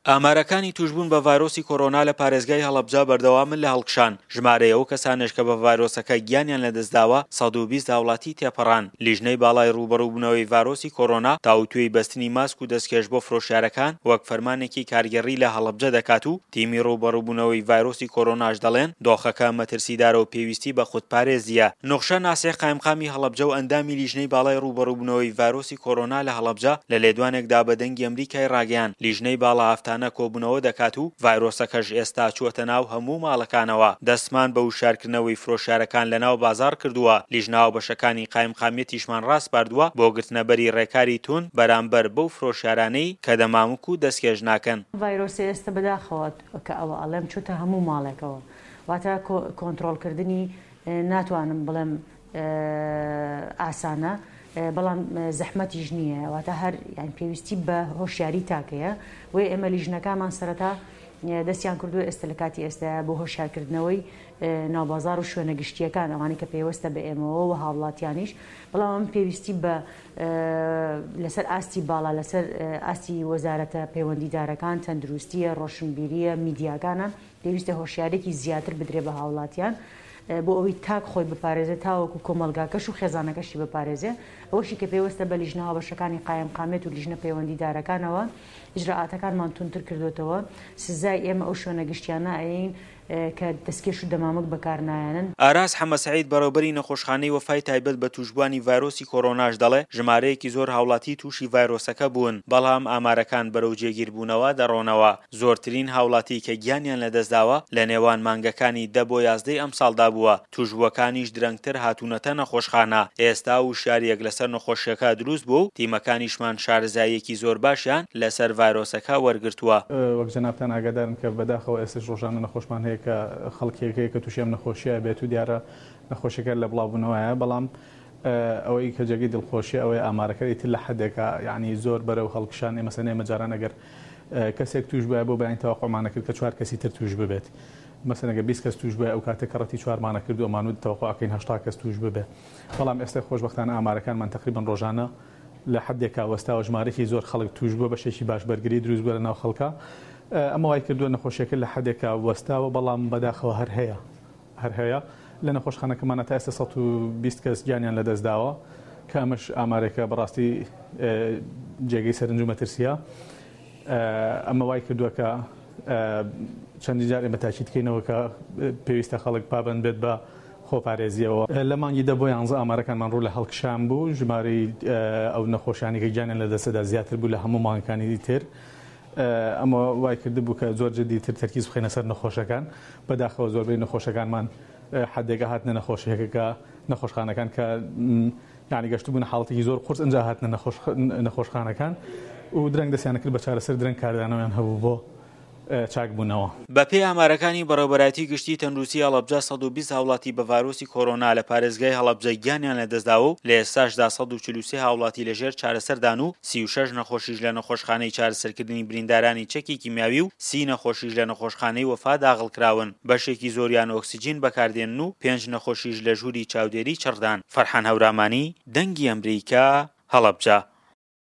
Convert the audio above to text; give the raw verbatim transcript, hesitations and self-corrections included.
ئامارەکانی توشبوون بە ڤایرۆسی کۆرۆنا لە پارێزگای هەڵەبجە بەردەوامن لە هەڵکشان، ژمارەی ئەو کەسانەش کە بە ڤایرۆسەکە گیانیان لەدەستداوە سەد و بیست هاوڵاتی تێپەڕان. لیژنەی باڵای ڕووبەڕووبوونەوەی ڤایرۆسی کۆرۆنا تاوتوێی بەستنی ماسک و دەستکێش بۆ فرۆشیارەکان وەک فەرمانێکی کارگێڕی لە هەڵەبجە دەکات و تیمی ڕووبەڕووبوونەوەی ڤایرۆسی کۆرۆناش دەڵێن دۆخەکە مەترسیدارە و پێویستی بە خودپارێزییە. نوخشە ناسیح قایمقامی هەڵەبجە و ئەندامی لیژنەی باڵای ڕووبەڕووبوونەوەی ڤایرۆسی کۆرۆنا لە هەڵەبجە لە لێدوانێکدا بە دەنگی ئەمریکای ڕاگەیاند لیژنەی باڵا هەفتانە کۆبوونەوە دەکات و ڤایرۆسەکەش ئێستا چووەتە ناو هەموو ماڵەکانەوە. دەستمان بە وشیارکردنەوەی فرۆشیارەکان لە ناو بازاڕ کردووە، لیژنە هاوبەشەکانی قایمقامیەتیشمان ڕاسپاردووە بۆ گرتنەبەری ڕێکاری توند بەرامبەر بەو فرۆشیارانەی کە دەمامک و دەستکێش ناکەن. ڤایرۆسە ئێستا بەداخەوە کە ئەوە ئەڵێم چووتە هەموو ماڵێکەوە، واتە کۆنترۆڵکردنی ناتوانم بڵێم ئاسانە، بەڵام زەحمەتیش نییە، واتە هەر یان پێویستی بە هۆشیاری تاکەیە. بۆیە ئێمە لیژنەکانمان سەرەتا دەستیان کردووە ئێستا لە کاتی ئێستا بۆ هۆشیارکردنەوەی ناوبازار و شوێنە گشتیەکان، ئەوانەی کە پەیوەستە بە ئێمەوە و هاوڵاتیانیش، بەڵام ئەم پێویستی بە لەسەر ئاستی باڵا، لەسەر ئاستی وەزارەتە پەیوەندیدارەکان، تەندروستیە، ڕۆشنبیریە، میدیاکانە، پێویستە هۆشیارێکی زیاتر بدرێ بە هاوڵاتیان بۆ ئەوەی تاک خۆی بپارێزێت تاوەکو کۆمەلگاکەش و خێزانەکەشی بپارێزێ. ئەوەشی کە پێوەستە بە لیژنە هاوبەشەکانی قایمقامیەت و لیژنە پەیوەندیدارەکانەوە ئیجرائاتەکانمان توندتر کردوێتەوە. سزای ئێمە ئەو شوێنە گشتیانە ئەین کە دەستکێش و دەمامک بەکارنایەنن. ئاراس حەمەسعید بەڕێوبەری نەخۆشخانەی وەفای تایبەت بە توشبووانی ڤایرۆسی کۆرۆناش دەڵێ ژمارەیەکی زۆر هاوڵاتی تووشی ڤایرۆسەکە بوون، بەڵام ئامارەکان بەرەو جێگیربوونەوە دەڕۆنەوە. زۆرترین هاوڵاتی کە گیانیان لەدەستداوە لە نێوان مانگەکانی دە بۆ یازدەی ئەمساڵدا بووە، توشبووەکانیش درەنگتر هاتوونەتە نەخۆشخانە. ئێستا وشیاریەک لەسەر نەخۆشیەکە دروست بوو و تیمەکانیشمان شارەزاییەکی زۆر باشیان لەسەر ڤایرۆسەکە وەرگرتووە. وەک جەنابتان ئاگادارن کە بەداخەوە ئێستاش ڕۆژانە نەخۆشمان هەیە کە خەڵکێک هەیە کە تووشی ئەم نەخۆشیە بێت و دیارە نەخۆشیەکە لە بڵاوبوونەوەیە، بەڵام ئەوەی کە جێگەی دڵخۆشیە ئەوەی ئامارەکە ئیتر لە حدێکە یعنی زۆر بەرەو هەڵکشان. ئێمە ئێمە جاران ئەگەر کەسێک توش بووە بۆ بەیانی تەوەقعمانە کرد کە چوار کەسی تر توش ببێت، مەسەلەن ئەگەر بیست کەس توش بووە ئەو کاتە کەڕەتی چوارمانە کرد و ئەمانوت تەوەقعەکەین هەشتا کەس توش ببێ، بەڵام ئێستا خۆشبەختانە ئامارەکانمان تقریبا ڕۆژانە لە حدێکا وەستاوە، ژمارەیەکی زۆر خەڵک توش بووە، بەشێکی باش بەرگری دروست بووە لە ناو خەڵکە. ئەمە وای کردووە نەخۆشیەکە لە حدێکا وەستاوە، بەڵام بەداخەوە هەر هەیە هەر هەیە. لە نەخۆشخانەکەمانە تا ئێستا سەد و بیست کەس گیانیان لەدەستداوە کە ئەمەش ئامارێکە بەڕاستی جێگەی سەرنج و مەترسیە. ئەمە وای کردووە کە چەندین جار ئێمە تاکید کەینەوە کە پێویستە خەڵک پابەند بێت بە خۆپارێزیەوە. لە مانگی دە بۆ یانزە ئامارەکانمان ڕوو لە هەڵکشان بوو، ژمارەی ئەو نەخۆشانی کە گیانیان لەدەستدا زیاتر بوو لە هەموو مانگەکانی تر. ئەمە وای کردبوو کە زۆر جدیتر تەرکیز بخەینە سەر نەخۆشەکان. بەداخەوە زۆربەی نەخۆشەکانمان حدێکە هاتنە نەخۆشیەکە نەخۆشخانەکان کە یعنی گەشتبوون حاڵەتێکی زۆر قورس ئەنجا هاتنە نەخۆشخانەکان و درەنگ دەستیانە کرد بە چارەسەر، درەنگ کاردانەوەیان هەبوو بۆ چاکبوونەوە. بەپێی ئامارەکانی بەڕێوەبەرایەتی گشتی تەندروستی هەڵەبجە سەد و بیست هاوڵاتی بە ڤایرۆسی کۆرۆنا لە پارێزگای هەڵەبجە گیانیان لەدەستداوە و لە ئێستاشدا سەد و چل و سێ هاوڵاتی لەژێر چارەسەردان و سی و شەش نەخۆشیش لە نەخۆشخانەی چارەسەرکردنی بریندارانی چەکی کیمیاوی و سی نەخۆشیش لە نەخۆشخانەی وەفا داغڵکراون. بەشێکی زۆریان ئۆکسجین بەکاردێنن و پێنج نەخۆشیش لە ژووری چاودێری چڕدان. فەرحان هەورامانی، دەنگی ئەمریکا، هەڵەبجە.